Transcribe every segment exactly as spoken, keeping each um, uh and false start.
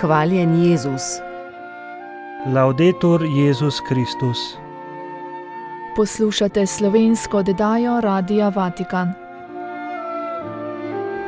Hvaljen Jezus. Laudetur Jezus Kristus. Poslušate slovensko oddajo Radia Vatikan.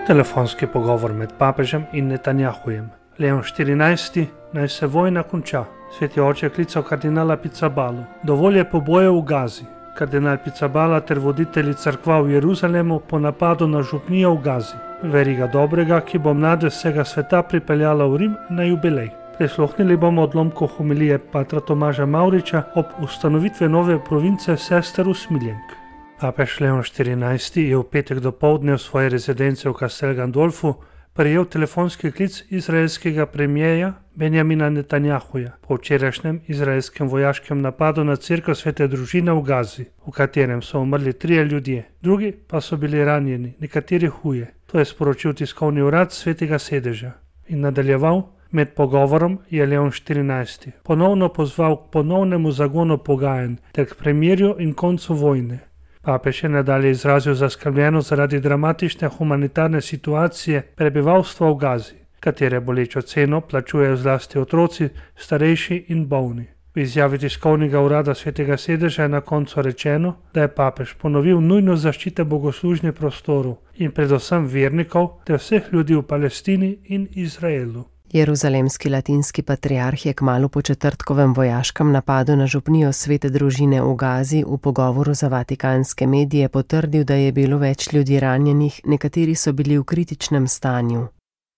Telefonski pogovor med papežem in Netanjahujem. Leon štirinajsti. Naj se vojna konča. Sveti oče je klical kardinala Pizzabalo. Dovolj je pobojev v Gazi. Kardinal Pizzabala ter voditelji cerkva v Jeruzalemu po napadu na župnijo v Gazi. Veriga dobrega, ki bo mlade vsega sveta pripeljala v Rim na jubilej. Prisluhnili bomo odlomku homilije patra Tomaža Mavriča ob ustanovitve nove province sester Usmiljenk. Papež Leon štirinajsti je v petek dopoldne v svoji rezidence v Castel Gandolfu prejel telefonski klic izraelskega premijeja Benjamina Netanjahuja po včerajšnjem izraelskem vojaškem napadu na cerkev Svete družine v Gazi, v katerem so umrli trije ljudje, drugi pa so bili ranjeni, nekateri huje. To je sporočil tiskovni urad Svetega sedeža in nadaljeval: med pogovorom je Leon štirinajsti ponovno pozval k ponovnemu zagonu pogajanj ter k premirju in koncu vojne. Papež je nadalje izrazil zaskrbljenost zaradi dramatične humanitarne situacije prebivalstva v Gazi, katere bolečo ceno plačujejo zlasti otroci, starejši in bolni. V izjavi tiskovnega urada Svetega sedeža je na koncu rečeno, da je papež ponovil nujnost zaščite bogoslužnih prostorov in predvsem vernikov ter vseh ljudi v Palestini in Izraelu. Jeruzalemski latinski patriarh je kmalu po četrtkovem vojaškem napadu na župnijo Svete družine v Gazi v pogovoru za vatikanske medije potrdil, da je bilo več ljudi ranjenih, nekateri so bili v kritičnem stanju.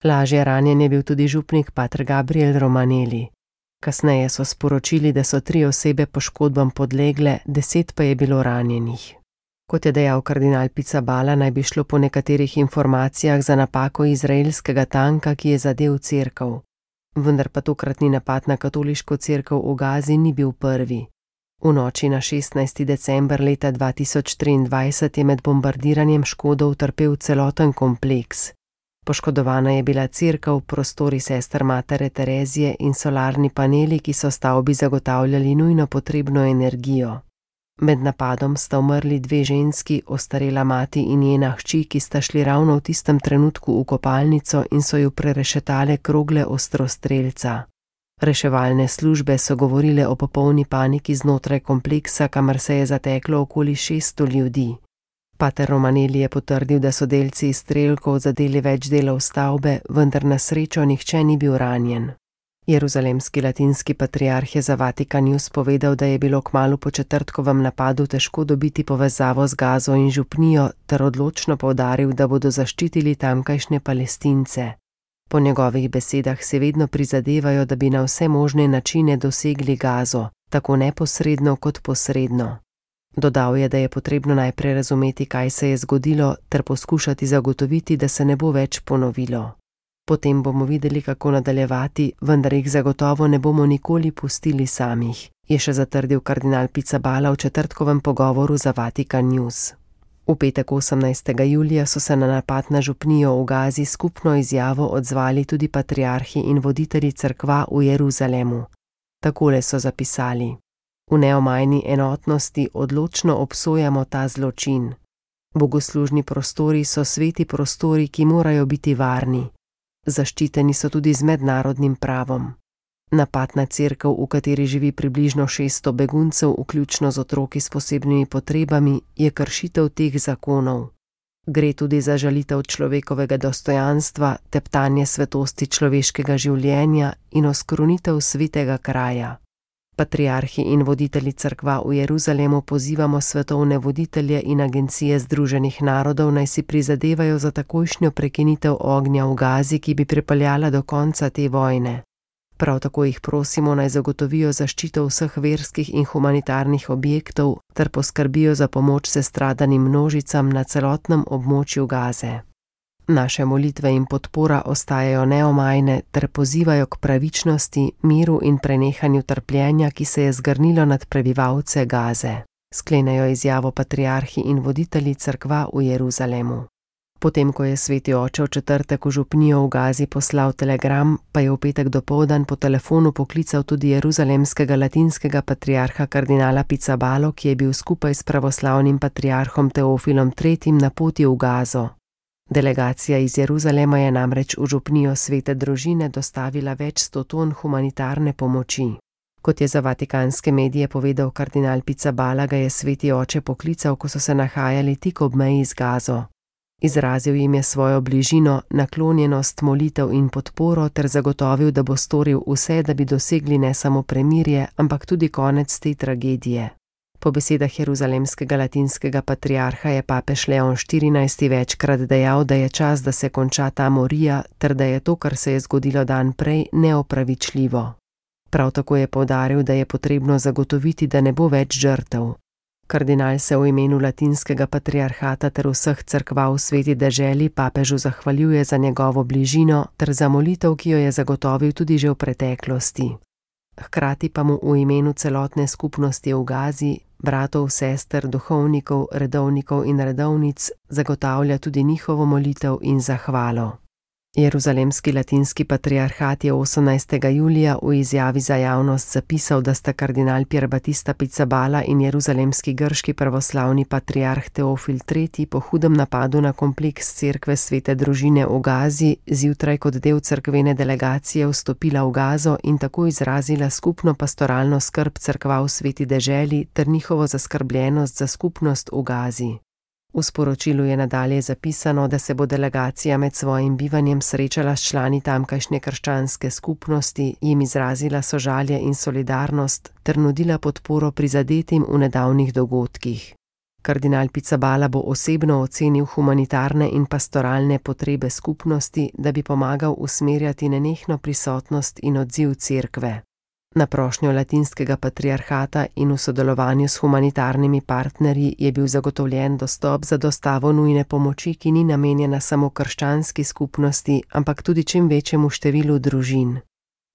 Lažje ranjen je bil tudi župnik pater Gabriel Romanelli. Kasneje so sporočili, da so tri osebe poškodbam podlegle, deset pa je bilo ranjenih. Kot je dejal kardinal Pizzabala, naj bi šlo po nekaterih informacijah za napako izraelskega tanka, ki je zadel cerkev. Vendar pa tokratni napad na katoliško cerkev v Gazi ni bil prvi. V noči na šestnajsti december leta dva tisoč triindvajset je med bombardiranjem škodo utrpel celoten kompleks. Poškodovana je bila cerkev, prostori sester Matere Terezije in solarni paneli, ki so stavbi zagotavljali nujno potrebno energijo. Med napadom sta umrli dve ženski, ostarela mati in njena hči, ki sta šli ravno v tistem trenutku v kopalnico in so ju prerešetale krogle ostrostrelca. Reševalne službe so govorile o popolni paniki znotraj kompleksa, kamor se je zateklo okoli šeststo ljudi. Pater Romanelli je potrdil, da so delci izstrelkov zadeli več delov stavbe, vendar na srečo nihče ni bil ranjen. Jeruzalemski latinski patriarh je za Vatikan News povedal, da je bilo kmalu po četrtkovem napadu težko dobiti povezavo z Gazo in župnijo, ter odločno poudaril, da bodo zaščitili tamkajšnje Palestince. Po njegovih besedah se vedno prizadevajo, da bi na vse možne načine dosegli Gazo, tako neposredno kot posredno. Dodal je, da je potrebno najprej razumeti, kaj se je zgodilo, ter poskušati zagotoviti, da se ne bo več ponovilo. Potem bomo videli, kako nadaljevati, vendar jih zagotovo ne bomo nikoli pustili samih, je še zatrdil kardinal Pizzabala v četrtkovem pogovoru za Vatikan News. V petek osemnajstega julija so se na napad na župnijo v Gazi skupno izjavo odzvali tudi patriarhi in voditelji cerkva v Jeruzalemu. Takole so zapisali: v neomajni enotnosti odločno obsojamo ta zločin. Bogoslužni prostori so sveti prostori, ki morajo biti varni. Zaščiteni so tudi z mednarodnim pravom. Napad na cerkev, v kateri živi približno šeststo beguncev, vključno z otroki s posebnimi potrebami, je kršitev teh zakonov. Gre tudi za žalitev človekovega dostojanstva, teptanje svetosti človeškega življenja in oskrunitev svetega kraja. Patriarhi in voditelji cerkva v Jeruzalemu pozivamo svetovne voditelje in agencije Združenih narodov, naj si prizadevajo za takojšnjo prekinitev ognja v Gazi, ki bi pripeljala do konca te vojne. Prav tako jih prosimo, naj zagotovijo zaščito vseh verskih in humanitarnih objektov ter poskrbijo za pomoč sestradanim množicam na celotnem območju Gaze. Naše molitve in podpora ostajajo neomajne ter pozivajo k pravičnosti, miru in prenehanju trpljenja, ki se je zgrnilo nad prebivalce Gaze. Sklenejo izjavo patriarhi in voditelji cerkva v Jeruzalemu. Potem, ko je sveti oče v četrtek v župnijo v Gazi poslal telegram, pa je v petek dopoldan po telefonu poklical tudi jeruzalemskega latinskega patriarha kardinala Pizzabalo, ki je bil skupaj s pravoslavnim patriarhom Teofilom tretjim na poti v Gazo. Delegacija iz Jeruzalema je namreč v župnijo Svete družine dostavila več sto ton humanitarne pomoči. Kot je za vatikanske medije povedal kardinal Pizzaballa, ga je sveti oče poklical, ko so se nahajali tik ob meji z Gazo. Izrazil jim je svojo bližino, naklonjenost, molitev in podporo ter zagotovil, da bo storil vse, da bi dosegli ne samo premirje, ampak tudi konec te tragedije. Po besedah jeruzalemskega latinskega patriarha je papež Leon štirinajsti večkrat dejal, da je čas, da se konča ta morija, ter da je to, kar se je zgodilo dan prej, neopravičljivo. Prav tako je poudaril, da je potrebno zagotoviti, da ne bo več žrtev. Kardinal se v imenu latinskega patriarhata ter vseh cerkva v sveti deželi papežu zahvaljuje za njegovo bližino ter za molitev, ki jo je zagotovil tudi že v preteklosti. Hkrati pa mu v imenu celotne skupnosti v Gazi, bratov, sester, duhovnikov, redovnikov in redovnic zagotavlja tudi njihovo molitev in zahvalo. Jeruzalemski latinski patriarhat je osemnajstega julija v izjavi za javnost zapisal, da sta kardinal Pier Battista Pizzaballa in jeruzalemski grški pravoslavni patriarh Teofil tretji po hudem napadu na kompleks cerkve Svete družine v Gazi zjutraj kot del cerkvene delegacije vstopila v Gazo in tako izrazila skupno pastoralno skrb cerkva v sveti deželi ter njihovo zaskrbljenost za skupnost v Gazi. V sporočilu je nadalje zapisano, da se bo delegacija med svojim bivanjem srečala s člani tamkajšnje krščanske skupnosti, jim izrazila sožalje in solidarnost ter nudila podporo prizadetim v nedavnih dogodkih. Kardinal Pizzaballa bo osebno ocenil humanitarne in pastoralne potrebe skupnosti, da bi pomagal usmerjati nenehno prisotnost in odziv cerkve. Na prošnjo latinskega patriarhata in v sodelovanju s humanitarnimi partnerji je bil zagotovljen dostop za dostavo nujne pomoči, ki ni namenjena samo krščanski skupnosti, ampak tudi čim večjemu številu družin.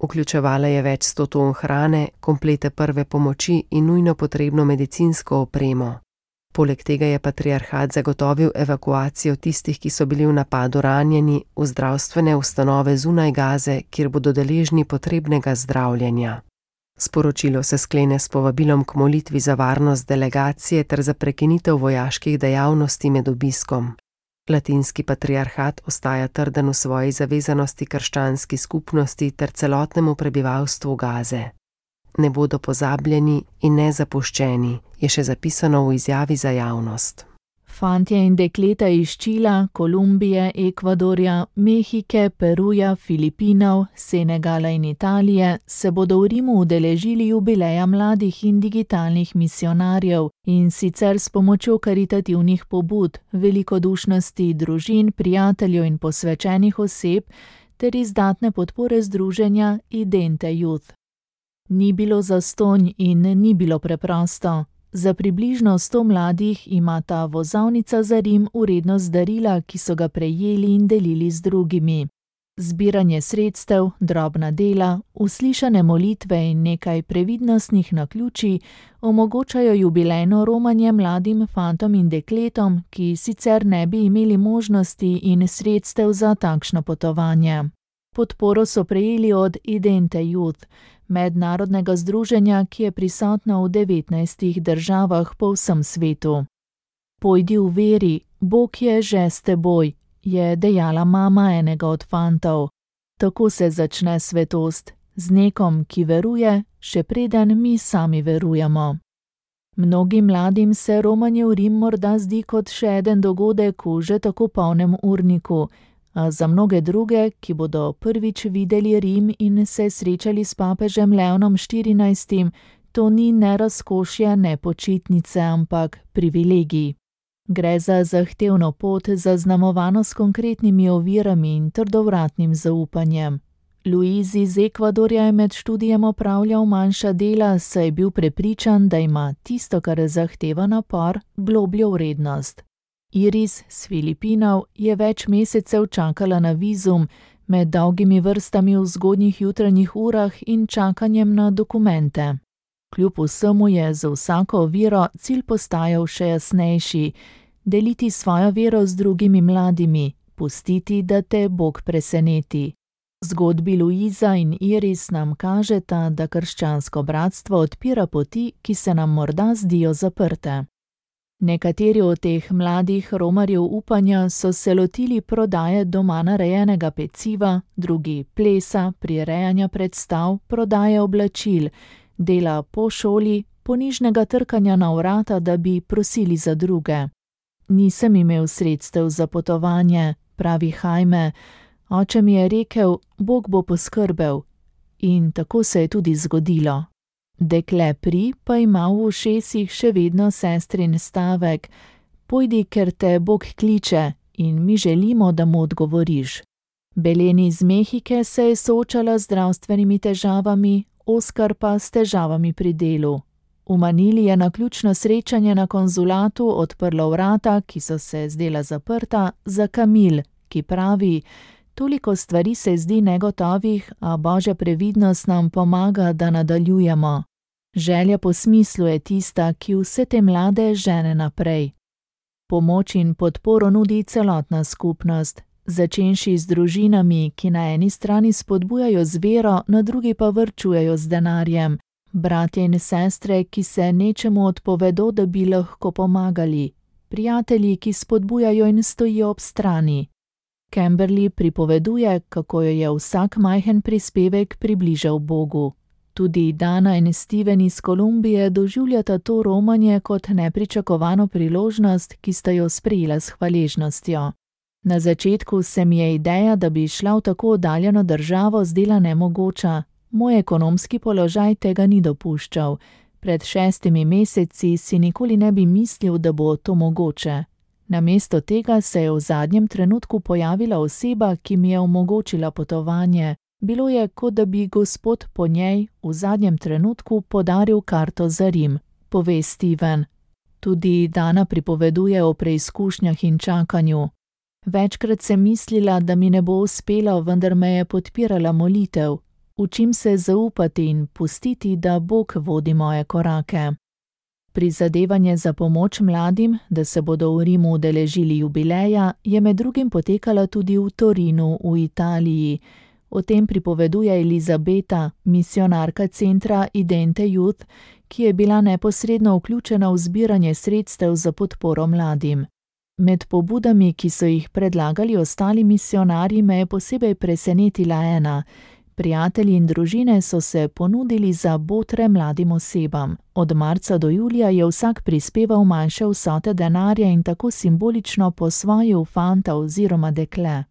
Vključevala je več sto ton hrane, komplete prve pomoči in nujno potrebno medicinsko opremo. Poleg tega je patriarhat zagotovil evakuacijo tistih, ki so bili v napadu ranjeni, v zdravstvene ustanove zunaj Gaze, kjer bodo deležni potrebnega zdravljenja. Sporočilo se sklene s povabilom k molitvi za varnost delegacije ter za prekinitev vojaških dejavnosti med obiskom. Latinski patriarhat ostaja trden v svoji zavezanosti krščanski skupnosti ter celotnemu prebivalstvu Gaze. Ne bodo pozabljeni in ne zapuščeni, je še zapisano v izjavi za javnost. Fantje in dekleta iz Čila, Kolumbije, Ekvadorja, Mehike, Peruja, Filipinov, Senegala in Italije se bodo v Rimu udeležili jubileja mladih in digitalnih misionarjev in sicer s pomočjo karitativnih pobud, velikodušnosti družin, prijateljev in posvečenih oseb ter izdatne podpore združenja Idente Youth. Ni bilo zastonj in ni bilo preprosto. Za približno sto mladih ima ta vozovnica za Rim vrednost darila, ki so ga prejeli in delili z drugimi. Zbiranje sredstev, drobna dela, uslišane molitve in nekaj previdnostnih naključij omogočajo jubilejno romanje mladim fantom in dekletom, ki sicer ne bi imeli možnosti in sredstev za takšno potovanje. Podporo so prejeli od Idente Youth, mednarodnega združenja, ki je prisotno v devetnajstih državah po vsem svetu. Pojdi v veri, Bog je že s teboj, je dejala mama enega od fantov. Tako se začne svetost, z nekom, ki veruje, še preden mi sami verujemo. Mnogim mladim se romanje v Rim morda zdi kot še eden dogodek v že tako polnem urniku, a za mnoge druge, ki bodo prvič videli Rim in se srečali s papežem Leonom štirinajstim, to ni ne razkošje, ne počitnice, ampak privilegij. Gre za zahtevno pot, zaznamovano s konkretnimi ovirami in trdovratnim zaupanjem. Luiz iz Ekvadorja je med študijem opravljal manjša dela, saj je bil prepričan, da ima tisto, kar zahteva napor, globljo vrednost. Iris s Filipinov je več mesecev čakala na vizum, med dolgimi vrstami v zgodnjih jutranjih urah in čakanjem na dokumente. Kljub vsemu je za vsako vero cilj postajal še jasnejši, deliti svojo vero z drugimi mladimi, pustiti, da te Bog preseneti. Zgodbi Luiza in Iris nam kažeta, da krščansko bratstvo odpira poti, ki se nam morda zdijo zaprte. Nekateri od teh mladih romarjev upanja so se lotili prodaje doma narejenega peciva, drugi plesa, prirejanja predstav, prodaje oblačil, dela po šoli, ponižnega trkanja na vrata, da bi prosili za druge. Nisem imel sredstev za potovanje, pravi Jaime. Oče mi je rekel, Bog bo poskrbel. In tako se je tudi zgodilo. Dekle Pri pa ima v ušesih še vedno sestrin stavek: Pojdi, ker te Bog kliče, in mi želimo, da mu odgovoriš. Belen iz Mehike se je soočala z zdravstvenimi težavami, Oskar pa s težavami pri delu. V Manili je na ključno srečanje na konzulatu odprlo vrata, ki so se zdela zaprta, za Kamil, ki pravi: Toliko stvari se zdi negotovih, a Božja previdnost nam pomaga, da nadaljujemo. Želja po smislu je tista, ki vse te mlade žene naprej. Pomoč in podporo nudi celotna skupnost, začenši z družinami, ki na eni strani spodbujajo z vero, na drugi pa varčujejo z denarjem, bratje in sestre, ki se nečemu odpovedo, da bi lahko pomagali, prijatelji, ki spodbujajo in stojijo ob strani. Kimberly pripoveduje, kako jo je vsak majhen prispevek približal Bogu. Tudi Dana in Steven iz Kolumbije doživljata to romanje kot nepričakovano priložnost, ki sta jo sprejela s hvaležnostjo. Na začetku se mi je ideja, da bi šla v tako oddaljeno državo, zdela nemogoča. Moj ekonomski položaj tega ni dopuščal. Pred šestimi meseci si nikoli ne bi mislil, da bo to mogoče. Namesto tega se je v zadnjem trenutku pojavila oseba, ki mi je omogočila potovanje. Bilo je, kot da bi Gospod po njej v zadnjem trenutku podaril karto za Rim, pove Steven. Tudi Dana pripoveduje o preizkušnjah in čakanju. Večkrat sem mislila, da mi ne bo uspelo, vendar me je podpirala molitev. Učim se zaupati in pustiti, da Bog vodi moje korake. Prizadevanje za pomoč mladim, da se bodo v Rimu udeležili jubileja, je med drugim potekala tudi v Torinu v Italiji. O tem pripoveduje Elizabeta, misionarka centra Idente Youth, ki je bila neposredno vključena v zbiranje sredstev za podporo mladim. Med pobudami, ki so jih predlagali ostali misionarji, me je posebej presenetila ena. Prijatelji in družine so se ponudili za botre mladim osebam. Od marca do julija je vsak prispeval manjše vsote denarja in tako simbolično posvojil fanta oziroma dekle.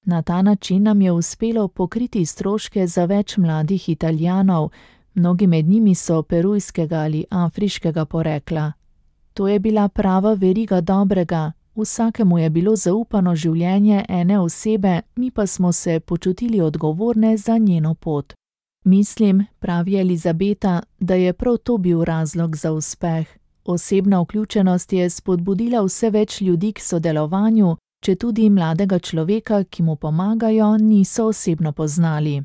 Na ta način nam je uspelo pokriti stroške za več mladih Italijanov, mnogi med njimi so perujskega ali afriškega porekla. To je bila prava veriga dobrega. Vsakemu je bilo zaupano življenje ene osebe, mi pa smo se počutili odgovorne za njeno pot. Mislim, pravi Elizabeta, da je prav to bil razlog za uspeh. Osebna vključenost je spodbudila vse več ljudi k sodelovanju, če tudi mladega človeka, ki mu pomagajo, niso osebno poznali.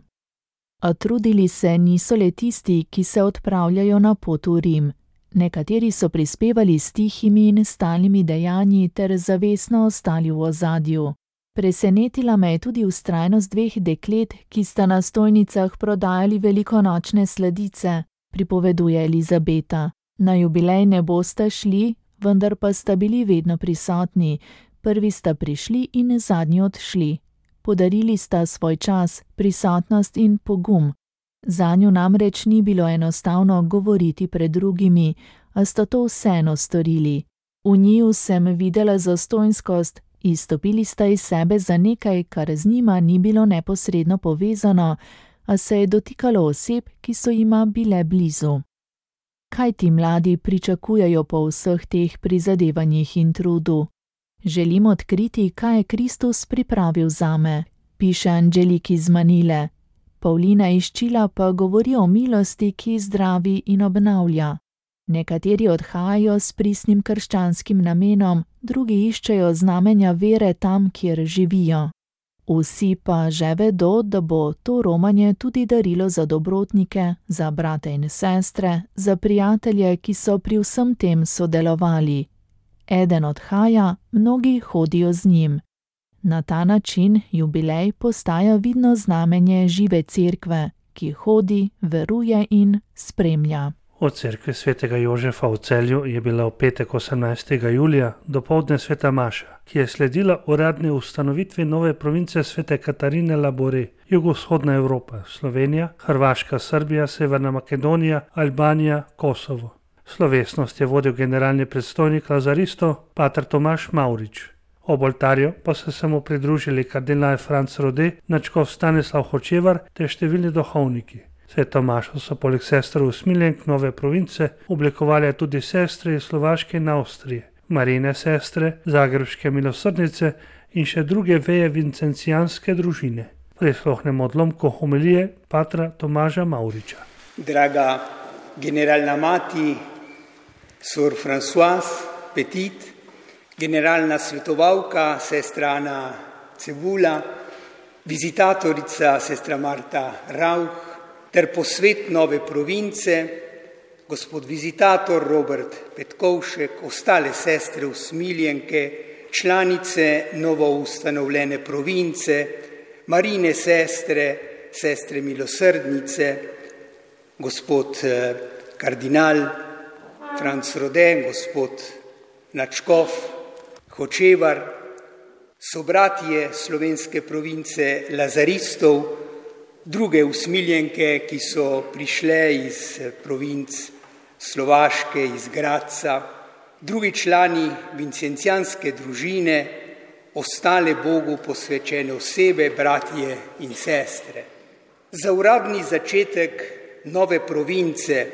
A trudili se niso le tisti, ki se odpravljajo na pot v Rim. Nekateri so prispevali s tihimi in stalnimi dejanji ter zavestno ostali v ozadju. Presenetila me je tudi vztrajnost dveh deklet, ki sta na stojnicah prodajali velikonočne sladice, pripoveduje Elizabeta. Na jubilej ne bosta šli, vendar pa sta bili vedno prisotni. Prvi sta prišli in zadnji odšli. Podarili sta svoj čas, prisotnost in pogum. Zanju namreč ni bilo enostavno govoriti pred drugimi, a sta to vseeno storili. V njiju sem videla zastonjskost, izstopili sta iz sebe za nekaj, kar z njima ni bilo neposredno povezano, a se je dotikalo oseb, ki so jima bile blizu. Kaj ti mladi pričakujejo po vseh teh prizadevanjih in trudu? Želim odkriti, kaj je Kristus pripravil zame, piše Angelik iz Manile. Paulina iz Čila pa govori o milosti, ki zdravi in obnavlja. Nekateri odhajajo s pristnim krščanskim namenom, drugi iščejo znamenja vere tam, kjer živijo. Vsi pa že vedo, da bo to romanje tudi darilo za dobrotnike, za brate in sestre, za prijatelje, ki so pri vsem tem sodelovali. Eden odhaja, mnogi hodijo z njim. Na ta način jubilej postaja vidno znamenje žive cerkve, ki hodi, veruje in spremlja. Od cerkve svetega Jožefa v Celju je bila v petek osemnajstega julija dopoldne sveta maša, ki je sledila uradni ustanovitvi nove province svete Katarine Labore, jugovzhodna Evropa, Slovenija, Hrvaška, Srbija, Severna Makedonija, Albanija, Kosovo. Slovesnost je vodil generalni predstojnik lazaristov, pater Tomaž Mavrič. Ob oltarju pa so se mu pridružili kardinal Franc Rode, nadškof Stanislav Hočevar ter številni duhovniki. Sveto mašo so poleg sester usmiljenk nove province oblikovali tudi sestre iz Slovaške in Avstrije, Marijine sestre, Zagrebške milosrdnice in še druge veje vincencijanske družine. Prisluhnemo odlomku homilije patra Tomaža Mavriča. Draga generalna mati, sor Françoise Petit, generalna svetovalka, sestra Ana Cebula, vizitatorica, sestra Marta Rauch, ter posvet nove province, gospod vizitator Robert Petkovšek, ostale sestre usmiljenke, članice novo ustanovljene province, Marijine sestre, sestre milosrdnice, gospod kardinal Franc Rode, gospod nadškof Hočevar, sobratje slovenske province lazaristov, druge usmiljenke, ki so prišle iz provinc Slovaške, iz Gradca, drugi člani vincencijanske družine, ostale Bogu posvečene osebe, bratje in sestre. Za uradni začetek nove province,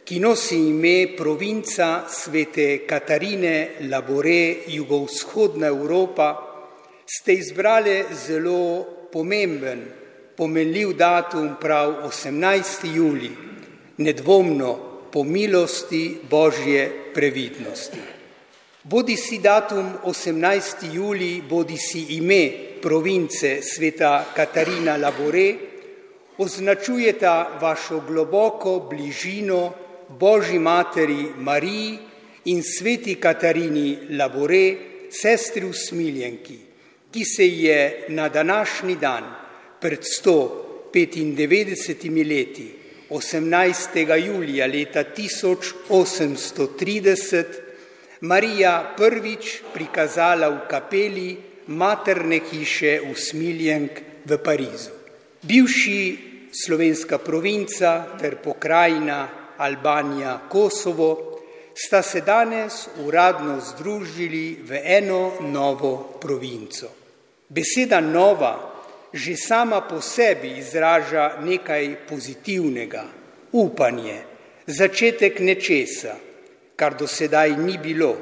ki nosi ime provinca svete Katarine Labore, jugovzhodna Evropa, ste izbrali zelo pomemben, pomenljiv datum, prav osemnajsti julij, nedvomno po milosti Božje previdnosti. Bodi si datum osemnajsti julij, bodi si ime province sveta Katarina Labore, označujeta vašo globoko bližino Božji materi Mariji in sveti Katarini Labore, sestri usmiljenki, ki se je na današnji dan pred sto petindevetdesetimi leti, osemnajstega julija leta tisoč osemsto trideset, Marija prvič prikazala v kapeli materne hiše usmiljenk v Parizu. Bivši slovenska provinca ter pokrajina Albanija, Kosovo sta se danes uradno združili v eno novo provinco. Beseda nova že sama po sebi izraža nekaj pozitivnega, upanje, začetek nečesa, kar do sedaj ni bilo,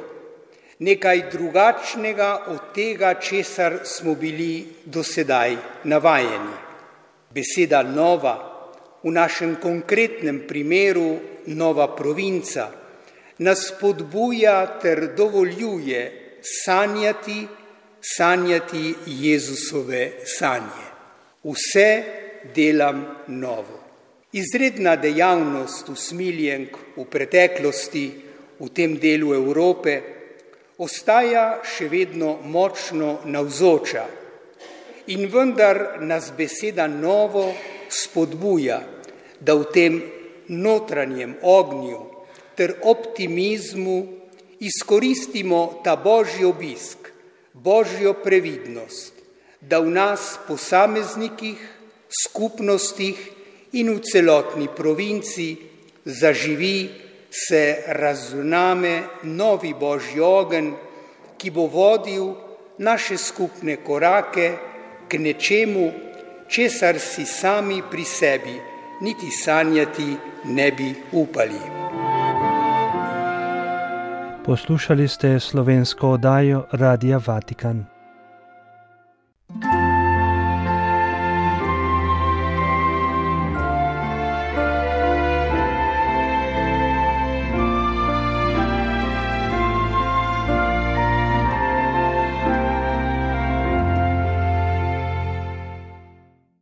nekaj drugačnega od tega, česar smo bili do sedaj navajeni. Beseda nova, v našem konkretnem primeru nova provinca, nas spodbuja ter dovoljuje sanjati, sanjati Jezusove sanje. Vse delam novo. Izredna dejavnost usmiljenk v preteklosti v tem delu Evrope ostaja še vedno močno navzoča in vendar nas beseda novo spodbuja, da v tem notranjem ognju ter optimizmu izkoristimo ta Božji obisk, Božjo previdnost, da v nas posameznikih, skupnostih in v celotni provinci zaživi, se razuname novi Božji ogenj, ki bo vodil naše skupne korake k nečemu, česar si sami pri sebi niti sanjati ne bi upali. Poslušali ste slovensko oddajo Radia Vatikan.